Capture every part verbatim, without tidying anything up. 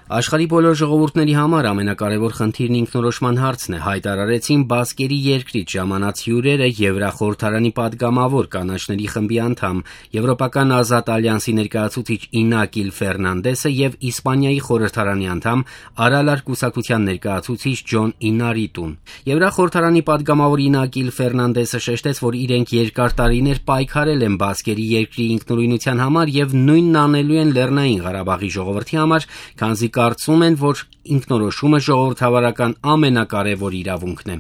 Աշխարհի բոլոր ժողովուրդների համար ամենակարևոր խնդիրն ինքնորոշման հարցն է, հայտարարեցին Բասկերի երկրից ժամանած հյուրերը Եվրախորհրդարանի պատգամավոր կանաչների խմբի անդամ, Եվրոպական ազատ ալյանսի ներկայացուցիչ Ինակիլ Ֆերնանդեսը եւ Իսպանիայի խորհրդարանի անդամ Արալար կուսակցության ներկայացուցիչ Ջոն Ինարիտուն։ Եվրախորհրդարանի պատգամավոր Ինակիլ Ֆերնանդեսը շեշտեց, որ իրենք երկար տարիներ պայքարել են Բասկերի երկրի ինքնուրույնության համար եւ նույնն անելու են Լեռնային Ղարաբաղի ժողովրդի համար, քանզի կարծում են, որ ինքնորոշումը ժողովրդավարական ամենակարևոր իրավունքն է։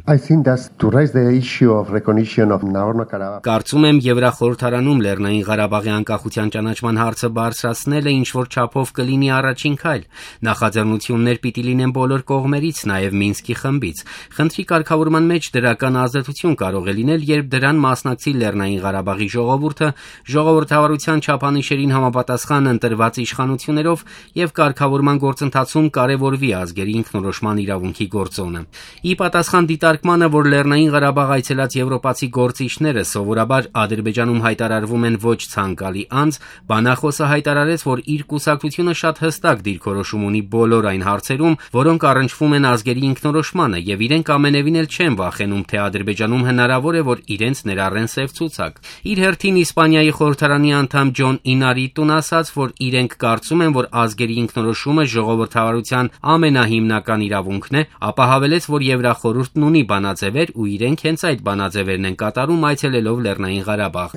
Կարծում եմ Եվրախորհրդարանում Լեռնային Ղարաբաղի անկախության ճանաչման հարցը բարձրացնելը ինչ-որ չափով կլինի առաջին քայլ։ Նախաձեռնություններ պիտի լինեն բոլոր կողմերից, նաև Մինսկի խմբից։ Խնդրի կարգավորման մեջ դրական ազդեցություն կարող է լինել, երբ դրան մասնակցի Լեռնային Ղարաբաղի ժողովուրդը ժողովրդավարության չափանիշերին համապատասխան ընտրված իշխանություններով եւ կարգավորման գործընթացում կարևորվի ազգերի ինքնորոշման իրավունքի գործոնը։ Ի պատասխան դիտարկմանը, որ Լեռնային Ղարաբաղ այցելած եվրոպացի գործիչները սովորաբար Ադրբեջանում հայտարարվում են ոչ ցանկալի անձ, բանախոսը հայտարարեց, որ իր կուսակցությունը շատ հստակ դիրքորոշում ունի բոլոր այն հարցերում, որոնք առնչվում են ազգերի ինքնորոշմանը, եւ իրենք ամենևին էլ չեն վախենում, թե Ադրբեջանում հնարավոր է, որ իրենց ներառեն սև ցուցակ։ Իր հերթին Իսպանիայի խորհրդարանի անդամ Ջոն Ինարիտուն ասաց, որ իրենք կարծում են, որ ազգերի ինքնորոշումը ժողովրդավարության ամենահիմնական իրավունքն է, ապա հավելեց, որ Եվրախորհուրդն ունի բանաձևեր ու իրենք հենց այդ բանաձևերն են կատարում այցելելով Լեռնային Ղարաբաղ։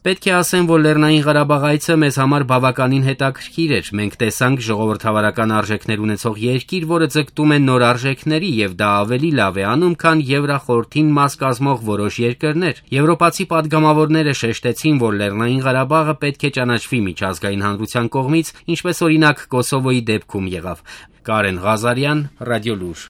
Պետք է ասեմ, որ Լեռնային Ղարաբաղ այցը մեզ համար բավականին հետաքրքիր էր։ Մենք տեսանք ժողովրդավարական արժեքներ ունեցող երկիր, որը ձգտում է նոր արժեքների, եւ դա ավելի լավ է անում, քան Եվրախորհրդին մաս կազմող որոշ երկրներ։ Եվրոպացի պատգամավորները շեշտեցին, որ Լեռնային Ղարաբաղը պետք է ճանաչվի միջազգային հանրության կողմից, ինչպես օրինակ Կոսովոյի դեպքում եղավ։ Կարեն Ղազարյան, Ռադիոլուր։